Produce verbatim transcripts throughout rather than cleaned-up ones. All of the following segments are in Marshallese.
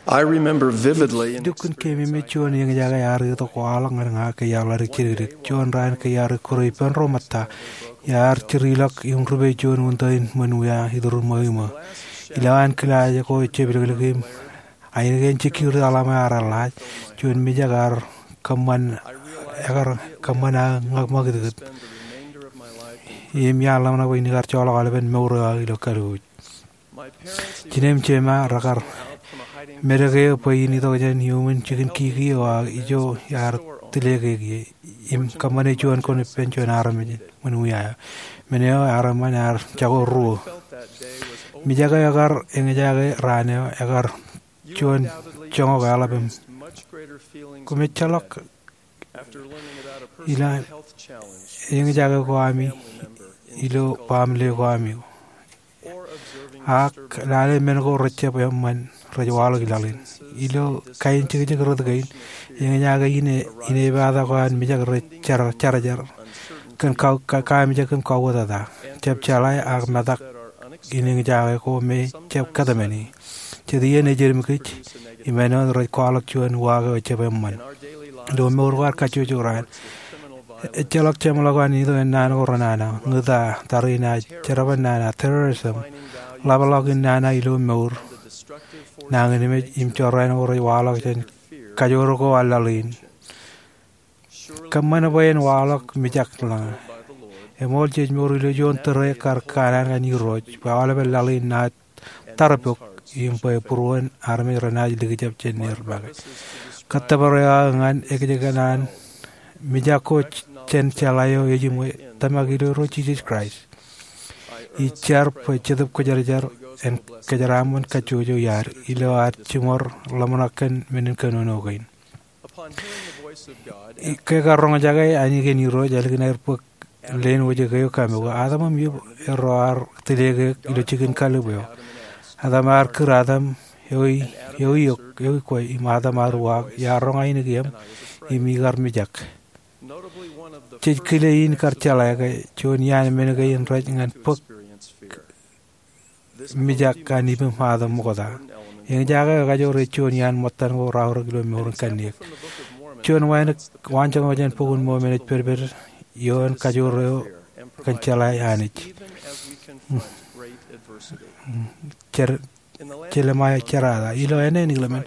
I remember vividly an Lukkuun keememej juon eñjake ear itok waḷọk ñan ña ke iar ḷaddik jidikdik. Juon raan ke iar ikkure ippān ro ṃōtta, iar jirilọk im rupe juon unin ṃōn wia iturūṃ ṃweo iṃō. Ilowaan kilaaj ko ejjab ilōkḷọk im ainikien security alarm ear eḷḷaaj, juon mijak ear kōṃṃan, ekar kōṃṃan aō ñak ṃakūtkūt. Im iar ḷōmṇak bwe in kar joḷọk aolepen mour eo aō ilo kalbuuj. Jinem jema rekar medek eō bwe in itok jān iuṃwin jikin kiki eo aō ijo iar tile kōn ie. Im kōṃṃane juon kōn ippān juon armej ṃōn wia eo. Men eo armej in ear jako ruo. Mijak eo ekar eñjake raan eo, ekar juon joñak eḷap im, Koṃ ejjeḷọk ilo eñjake ko ami ilo baaṃle ko ami. Ak lale men ko rejjab eṃṃan rej waḷọk laḷ in. Ilo kain jekjek rot kein, eñjake in, in epaata ko an mijak rej jar, jarjar kōn ka, ka, kaamijak im kauwōtata. Jab jeḷā ak metak in eñjake ko me jab kōtmāne. Jet iien ej edim kōj im āinwōt rej kwaḷọk juon uwaak eo ejjab eṃṃan. Ilo mour ko ad kajjojo raan, ejjeḷọk jeṃḷọk an itok in naan ko renana, ñūta, tariṇae, jerbal nana, terrorism, ḷapḷọk in nana ilo mour, nañinmej im jorrāān ko rej waḷọk jān kajoor ko an laḷ in. Kōṃṃan bwe en waḷọk mijak ḷọk. Eṃool jej mour ilo juon tōre kar kanaan ñan Irooj bwe aolepen laḷ in naaj tarpok im bwe būruon armej renaaj likjab jān neer make. Kōttōpar eo aō ñan ekjeken an mijak ko jān jeḷā eo ejiṃwe, tōmak ilo Irooj Jisōs Kraist. Ij jar bwe Jetōb Kwōjarjar en kōjeraaṃṃan kajjojo iaad ilo ad jiṃor ḷōmṇak kōn men in kōnono kein. Ke kar roñjake ainikien Irooj ālikin aer bōk leen wōjke eo kaṃōk, Adam im Iv erro ar tile ke ilo jikin kallib eo. Adam ear kūr Adam, ewi, ewi eok, ewi kwe? Im Adam ear uwaak, Iar roñ ainikieṃ im ikar mijak. Jej kile in kar jeḷā ke juon iaan men kein rej ñan bōk mijak an ippaṃ Adam ṃokta. Eñjake eo ekajoor ej juon iaan ṃōttan ko raorōk ilo mour in kanniōk. Juon waanjoñak jān Bok in Mormon ej pedped ioon kajoor eo kōn jeḷā Anij. Jer-, Jeremaia jerata. Ilo āne in ḷōmṇak,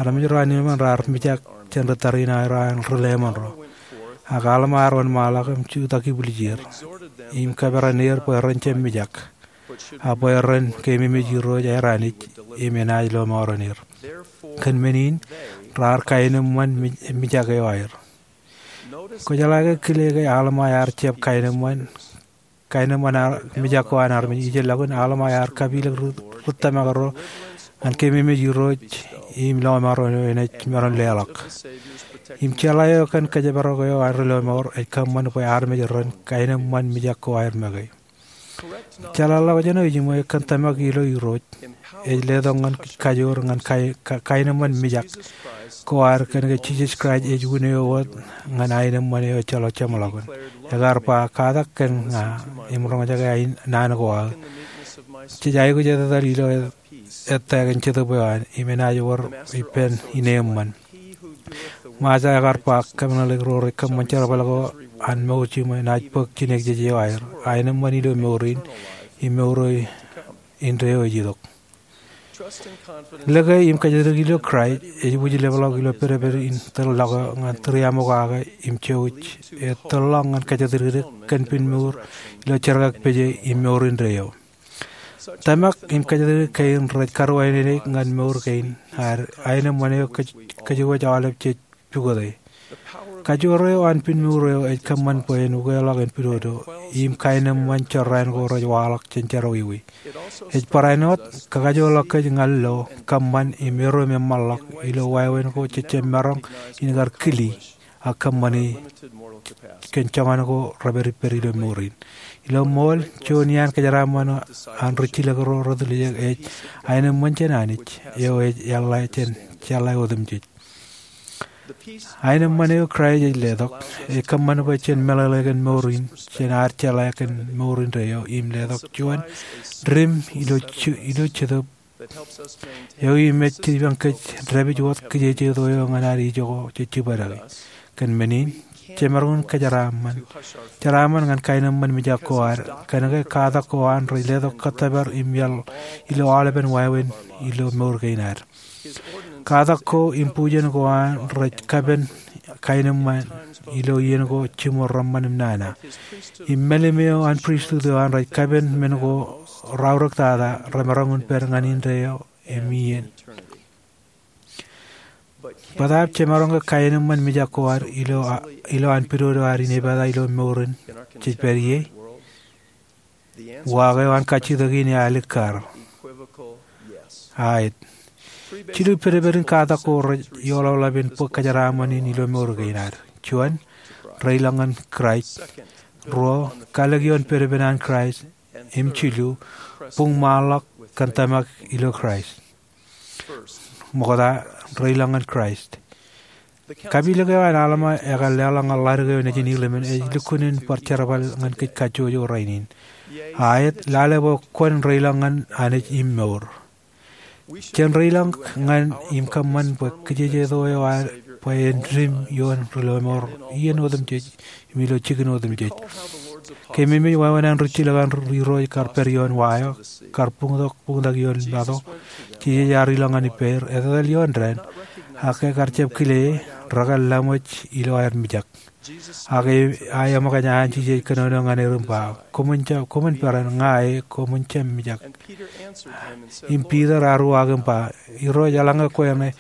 armej ro an ḷōmṇak raar mijak jān ri tariṇae ro an ri leṃōn ro. Ak Alma ear wōnṃaanḷọk im jutak ibwiljir im kōperan er bwe ren jab mijak, ak bwe ren keememej Irooj aer Anij im enaaj lọmọọren er. Kōn men in, raar kaenōṃṃan mij-, mijak eo aer. Kwōjeḷā ke kile ke Alma ear jab kaenōṃṃan, kaenōṃṃan ar-, mijak ko an armej. Ijellọkin Alma ear kapilōk ri, ri tōmak ro ñan keememej Irooj im lọmọọren eo enaaj maroñ leḷọk. Im jeḷā eo kōn kōjparok eo an ri lọmọọr ej kōṃṃan bwe armej ren kaenōṃṃan mijak ko aer make. Jeḷāḷọkjeṇ eo ejiṃwe kōn tōmak ilo Irooj ej letok ñan kōj kajoor ñan kai-, ka-, kaenōṃṃan mijak ko ad kōnke Jisōs Kraist ej unin eo wōt ñan aenōṃṃan eo ejjeḷọk jeṃḷọkin. Ekar ba, Katak kōn ña im roñjake aenōṃṃan naan ko aō. Jej aikuj etetal ilo ettā kōn Jetōb eo an im enaaj wōr ippān ineeṃṃan. Ṃajeḷ ekar ba, Kōmeḷeḷeik ro rej kōṃṃan jerbal ko an mour jiṃwe, naaj bōk jinōkjeje eo aer, aenōṃṃan ilo mour in im mour eo indeeo ej itok. Lōke im kōjatdikdik ilo Kraist ej wūjlepḷọk ilo pedped in tōl ḷọk eo ñan tūriaṃokake im jouj eo tōl ḷọk ñan kōjatdikdik kōn pinmour ilo jerkakpeje im mour indeeo. Tōmak im kōjatdikdik kein rej karuwainene ñan mour kein ad aenōṃṃan eo kōj-, kōjwōj aolep jej pukote. Kajoor eo an pinmour eo ej kōṃṃan bwe en ukeḷọk en pidodo im kaenōṃṃan jorrāān ko rej waḷọk jān jerọwiwi. Ej barāinwōt kakajoorḷọk kōj ñan lo, kōṃṃan im erom eṃṃanḷọk ilo wāween ko jejjab maroñ in kar kili ak kōṃṃani kōn joñan ko repād ippād ilo mour in. Ilo ṃool, juon iaan kōjeraaṃṃan an rijjilōk ro retiljek ej aenōṃṃan jān Anij eo ej eḷḷā jān jeḷā otemjej. Aenōṃṃan eo Kraist ej letok ej kōṃṃan bwe jen meḷeḷe kōn mour in jān ad jeḷā kōn mour indeeo im letok juon dim ilo je-, ilo Jetōb Eo im ej jipañ kōj dāpij wōt kijejeto eo ñan ad ijo ko jej jibadeki. Kōn men in, jemaroñ in kōjeraaṃṃan. Jeraaṃṃan ñan kaenōṃṃan mijak ko ad, kōnke katak ko an rej letok kōttōpar im iaḷ ilo aolepen wāween ilo mour kein ad. Katak ko im bujen ko an rej kapen kaenōṃṃan ilo iien ko jiṃor reṃṃan im nana. Im mālim eo an pristut eo an rej kapen men ko raorōktata remaroñ in pād ñan indeeo im iien. Bōtaab jemaroñ ke kaenōṃṃan mijak ko ad ilo, ilo an pidodo ad inepata ilo mour in jej pād ie? Uwaak eo an kajjitōk in ear alikkar. Aet. Jilu pedped in katak ko rej eḷapḷap in bōk kōjeraaṃṃan in ilo mour kein ad. Juon, reilañ ñan Kraist. Ruo, kalōk ioon pedped an Kraist. Im jilu, buñṃaanḷọk kōn tōmak ilo Kraist. Ṃokta, reilañ ñan Kraist. Kapilōk eo an Alma ekar leḷọk ñan ḷadik eo nejin Ilimen ej lukkuun in bar jerbal ñan kōj kajjojo rainin. Aet, lale bwe kwōn reilañ ñan Anij im mour. Jen reilañ ñan im kōṃṃan bwe kijejeto eo ad bwe en dim ioon ri lọmọọr iien otemjej im ilo jikin otemjej. Keememej wāween an rijjilōk an Irooj kar pād ioon wa eo, kar buñtok buñtak ioon mato, Jisōs ear ilọk ñan ippāer, etetal ioon dān, ak ekar jab kile e, rekar laṃōj ilo aer mijak. Ak eo eṃōkaj an Jisōs kōnono ñan er im ba, koṃwin jab, koṃwin peran, ña e, koṃwin jab mijak. Im Piter ear uwaak im ba, Irooj, eḷaññe kwe ṇe,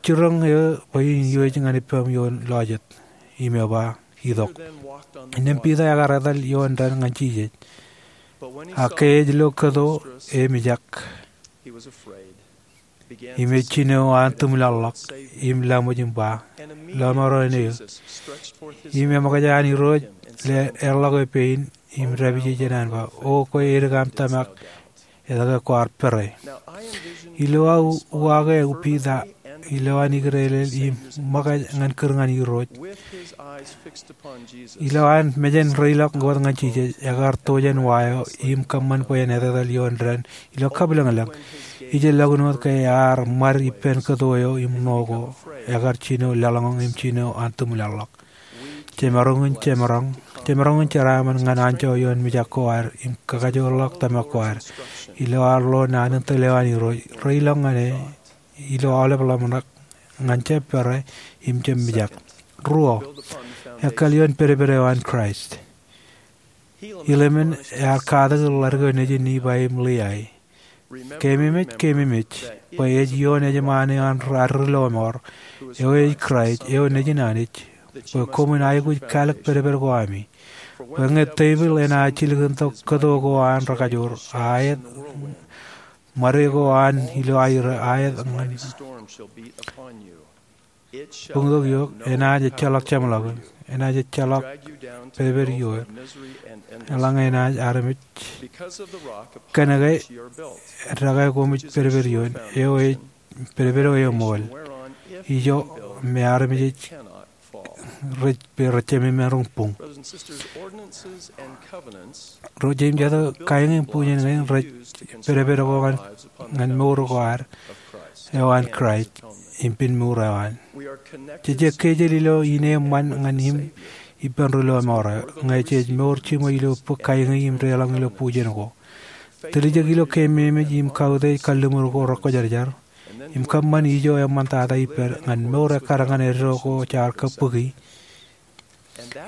jiroñ eō bwe in iwōj ñan ippaṃ ioon lọjet. Im eo ba, itok. Innām Piter ekar etal ioon dān ñan Jisōs. Ak ke ej lo kōto, emijak. Im ej jino an tūmlaḷḷọk, im laṃōj im ba, lọmọọr eo eṇ eō. Im eṃōkaj an Irooj le eḷḷọk eō pein, im dāpij e jān an ba, O kwe edik aṃ tōmak, etke kwaar pere? Ilo aō uwaak eo Piter, ilo an ikdeelel im ṃōkaj ñan kūr ñan Irooj, ilo an mejān reilañ wōt ñan Jisōs, ekar to jān wa eo im kōṃṃan bwe en etetal ioon dān ilo kabwilōñlōñ. Ijellọkin wōt ke ear ṃad ippān kōto eo im ṇo ko, ekar jino laḷñoñ im jino an tūmlaḷḷọk. Jemaroñ in jemaroñ, jemaroñ in jeraaṃṃan ñan anjọ ioon mijak ko ad im kakajoorḷọk tōmak ko ad. Ilo ad lo naan in tōl eo an Irooj, reilañ ñan e, ilo aolep ḷōmṇak, ñan jab pere, im jab mijak. Ruo, ekkāāl ioon pedped eo an Kraist. Ilimen ear katak ḷadik eo nejin Nifai im Liai. Keememej, keememej, bwe ej ioon ejṃaan eo an ad ri lọmọọr, eo ej Kraist, eo nejin Anij, bwe koṃwin aikuj kalōk pedped ko ami. Bwe ñe tepil enaaj jilkintok kōto ko an rekajoor, aet, ṃade ko an ilo aer, aet ñan buñtok eok, enaaj ejjeḷọk jeṃḷọkin, enaaj ejjeḷọk pedped ioer. Eḷaññe enaaj armej, kōnke dekā koṃij pedped ioon, eo ej pedped eo eṃool. Ijo me armej ej rej, rej jemem maroñ buñ. Ro jeiū im jatū, kaiiñ im bujen kein rej pedped ko ñan, ñan mour ko ad eo an Kraist, im pen mour eo an. Jej kejel ilo ineeṃṃan ñan im ippān ri lọmọọr eo, ñe jej mour jiṃwe ilo bōk kaiiñ im deḷọñ ilo bujen ko. Tiljek ilo keememej im kautiej kalliṃur ko rekwōjarjar. Im kōṃṃan ijo eṃṃantata ippād ñan mour ekkar ñan eddo ko jaar kōbōki.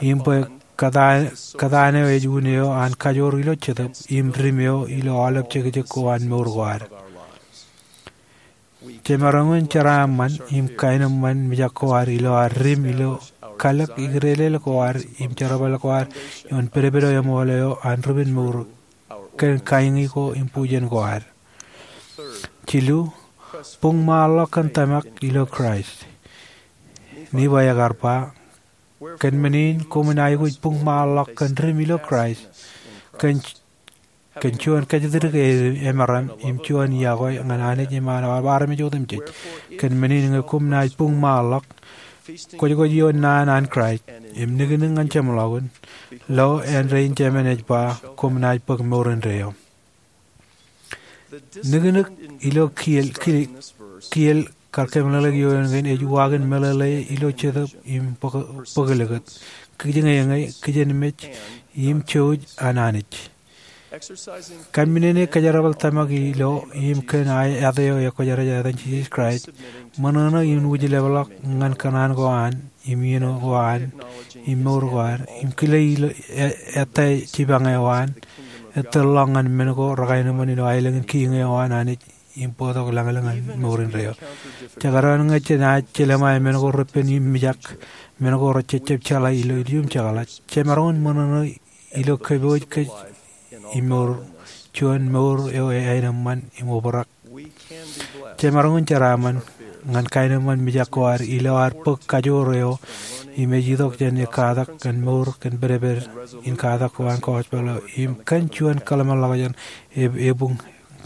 Im bwe kōtaan, kōtaan eo ej un eo an kajoor ilo Jetōb, im dim eo ilo aolep jekjek ko an mour ko ad. Jemaroñ in jeraaṃṃan, im kaenōṃṃan mijak ko ad ilo ad dim ilo kalōk ikdeelel ko ad, im jerbal ko ad, ioon pedped eo eṃool eo an ri-pen mour, kōn kaiiñ ko im bujen ko ad. Jilu, buñṃaanḷọk kōn tōmak ilo Kraist. Nifai ekar ba, kōn men in koṃwin aikuj buñṃaanḷọk kōn dim ilo Kraist, kōn, kōn juon kōjatdikdik emaroñ, im juon iọkwe ñan Anij im an armej otemjej. Kōn men in ñe koṃ naaj buñṃaanḷọk, kwōjkwōj ioon naan an Kraist, im niknik ñan jeṃḷọkin, lo āindein Jemān ej ba, koṃ naaj bōk mour indeeo. Nuknuk ilo kiiō, kiiō, kiiō kar kōmeḷeḷeik ioon kein ej uwaak in meḷeḷe ilo jetōb im bōk, bōk likūt, kijeñeñe, kijenmej, im jouj an Anij. Kōmmenin kōjerbal tōmak ilo im kōn aō āt eo ekwōjarjar etan Jisōs Kraist, ṃōṇōṇō in wūjlepḷọk ñan kōṇaan ko an, im iien ko an, im mour ko an, im kile ilo e-, ettā jipañ eo an, ettā ḷọk ñan men ko rekaenōṃṃan ilo aelōñ in Kiiñ eo an Anij, im bōktok lañlōñ ñan mour indeeo. Jekdọọn ñe jenaaj jelōṃae men ko repen im mijak, men ko rejejjab jeḷā ilo ilium jekḷaj, jemaroñ in ṃōṇōṇō ilo kōpooj kōj im mour, juon mour eo ej aenōṃṃan im obrak. Jemaroñ in jeraaṃṃan ñan kaenōṃṃan mijak ko ad ilo ad bōk kajoor eo im ej itok jān ekkatak kōn mour kōn pedped in katak ko an gospel eo im kōn juon kōḷmānḷọkjeṇ e-, ebuñ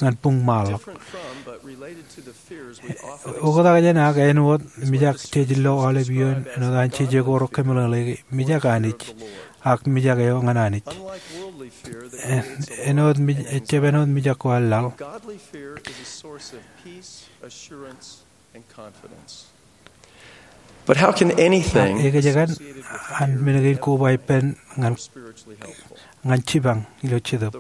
ñan buñmaanḷọk. Oktak jān ak āinwōt mijak jej lo aolep iioon āinwōt an jeje ko rekameḷeḷeiki, mijak Anij, ak mijak eo ñan Anij. Āinwōt mij-, ejjab āinwōt mijak ko an laḷ. But how can anything Ak ekōjkan an men kein koba ippān ñan, ñan jipañ ilo jetōb?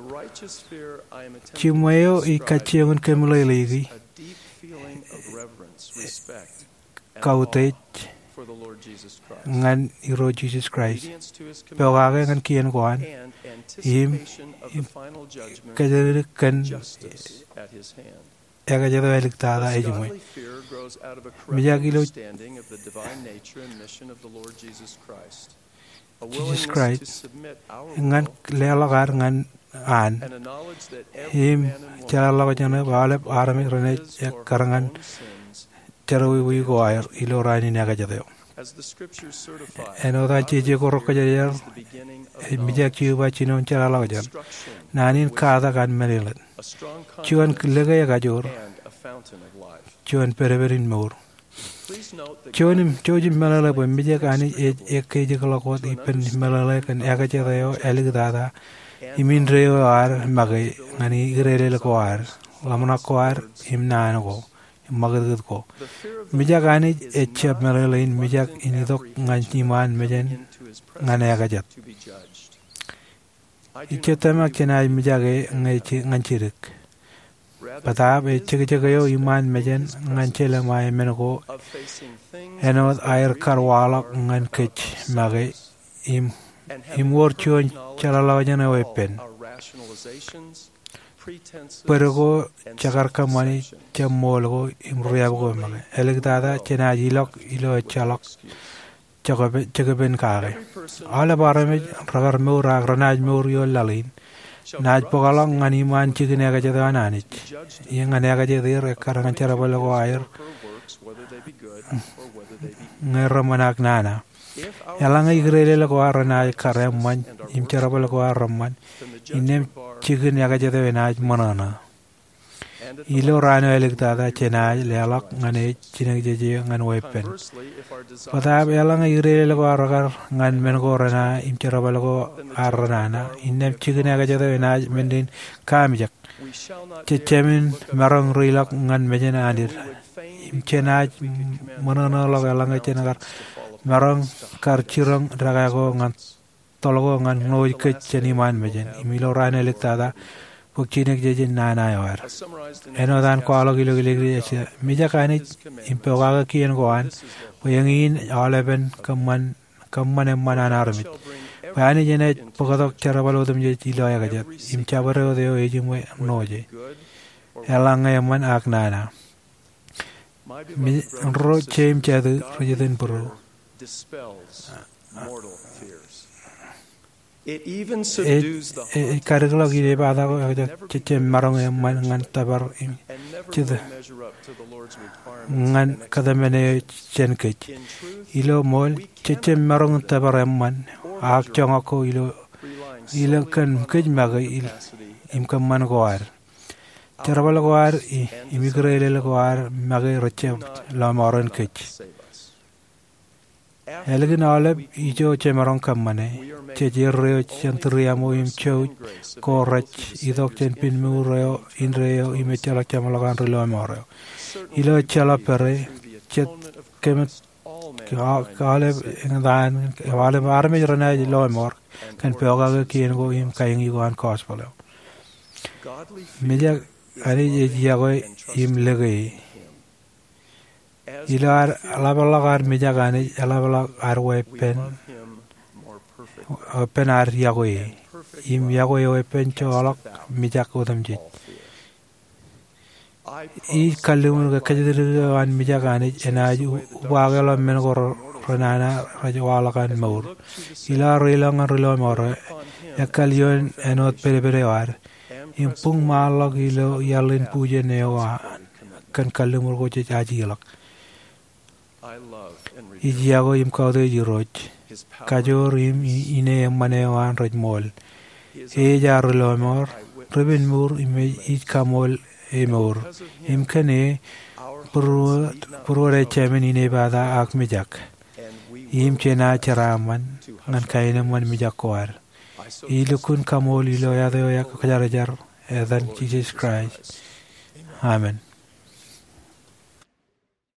Jiṃwe eo ij kajjioñ in kōmeḷeḷeiki, kautiej ñan Irooj Jisōs Kraist, pokake ñan kien ko an, im, im kōjatdikdik kōn ekajet eo āliktata ejiṃwe. Mijak ilo Jisōs Kraist, ñan leḷọk ad ñan an, im jeḷāḷọkjeṇ bwe aolep armej renaaj ekkar ñan jerọwiwi ko aer ilo raan in ekajet eo. Āinwōt an jeje ko rekajeer, ej mijak jeiū ba jinoin jeḷāḷọkjeṇ. Naan in katak an mālōtlōt. Juon lōke ekajoor. Juon pedped in mour. Jouj im, jouj im meḷeḷe bwe mijak Anij ej ekkejikḷọk wōt ippān meḷeḷe kōn ekajet eo āliktata im indeeo ad make ñan ikdeelel ko ad, ḷōmṇak ko ad, im naan ko, im ṃakūtkūt ko. Mijak Anij ejjab meḷeḷe in mijak in itok ñan iṃaan mejān ñan ekajet. Ij jet tōmak jenaaj mijak e ñe je-, ñan jidik. Bōtaab ejjekjek eo iṃaan mejān ñan jelōṃae men ko āinwōt aer kar waḷọk ñan kōj make im, im wōr juon jeḷāḷọkjeṇ eo eppān. Bōd ko, jekar kōṃṃani, jab ṃool ko, im riab ko make. Āliktata jenaaj ilọk ilo ejjeḷọk jekpe-, jekpen kake. Aolep armej rekar mour ak renaaj mour ioon laḷ in, naaj bōkḷọk ñan iṃaan jikin ekajet eo an Anij. Im ñan ekajet er ekkar ñan jerbal ko aer ñe reṃṃan ak nana. Eḷaññe ikdeelel ko ad renaaj kar eṃṃan, im jerbal ko ad reṃṃan, innām jikin ekajet eo enaaj ṃōṇōṇō. Ilo raan eo āliktata jenaaj leḷọk ñan e jinōkjeje ñan weeppān. Bōtaab eḷaññe ikdeelel ko ad rekar ñan men ko renana im jerbal ko ad renana, innām jikin ekajet eo enaaj men in kaamijak. Jejāmin maroñ ri ilọk ñan mejān Anij. Im jenaaj ṃōṇōṇōḷọk eḷaññe jen kar maroñ kar jiroñ dekā ko ñan toḷ ko ñan ṇooj kōj jān iṃaan mejān. Im ilo raan eo āliktata, bōk jinōkjeje nana eo ad. Āinwōt an kwaḷọk ilo Leviticus, mijak Anij im pokake kien ko an, bwe eñin aolepen kōṃṃan, kōṃṃan eṃṃan an armej. Bwe Anij enaaj bōktok jerbal otemjej ilo ekajet, im jabdewōt eo ejiṃwe ṇooje. Eḷaññe eṃṃan ak nana. Ro jeiū im būruō. Ej, ej kadikḷọk inepata ko ekajet jejjab maroñ eṃṃan ñan tōpar im jete ñan kōtmāne eo jān kōj. Ilo ṃool, jejjab maroñ in tōpar eṃṃan, ak joñak ko ilo, ilo kōn kōj make im kōṃṃan ko ad. Jerbal ko ad im ikdeelel ko ad make rejjab lọmọọren kōj. Ālikin aolep ijo jemaroñ kōṃṃane, jej erreo jān tūriaṃo im jouj ko rej itok jān pinmuur eo indeeo im ejjeḷọk jeṃḷọk an ri lọmọọr eo. Ilo ejjeḷọk pere, jet kōmij aolep eñtaan, aolep armej renaaj lọmọọr kōn pokake kien ko im kain ko an gospel eo. Mijak Anij ej yokwe im lōke e. Ilo ad ḷapḷọk ad mijak Anij, eḷapḷọk ad weeppān, weeppān ad yokwe e, im yokwe e weeppān joḷọk mijak otemjej. Ij kalliṃur ke kōjatdikdik eo an mijak Anij enaaj ubaakḷọk men ko renana rej waḷọk an mour. Ilo aō reiloñ ñan ri lọmọọr eo, ekkal ioon āinwōt pedped eo ad im buñmaanḷọk ilo iaḷ in bujen eo an kōn kalliṃur ko jej ajeḷọk. Ij yokwe im kautiej Irooj, kajoor im ine eṃṃan eo an rej ṃool. E ej aō ri lọmọọr, ri pinmuur im ij kaṃool e mour. Im kōn e, būruod ejāmin inepata ak mijak. Im jenaaj jeraaṃṃan ñan kaenōṃṃan mijak ko ad. Ij lukkuun kaṃool ilo āt eo ekajjarjar, etan Jisōs Kraist, amen.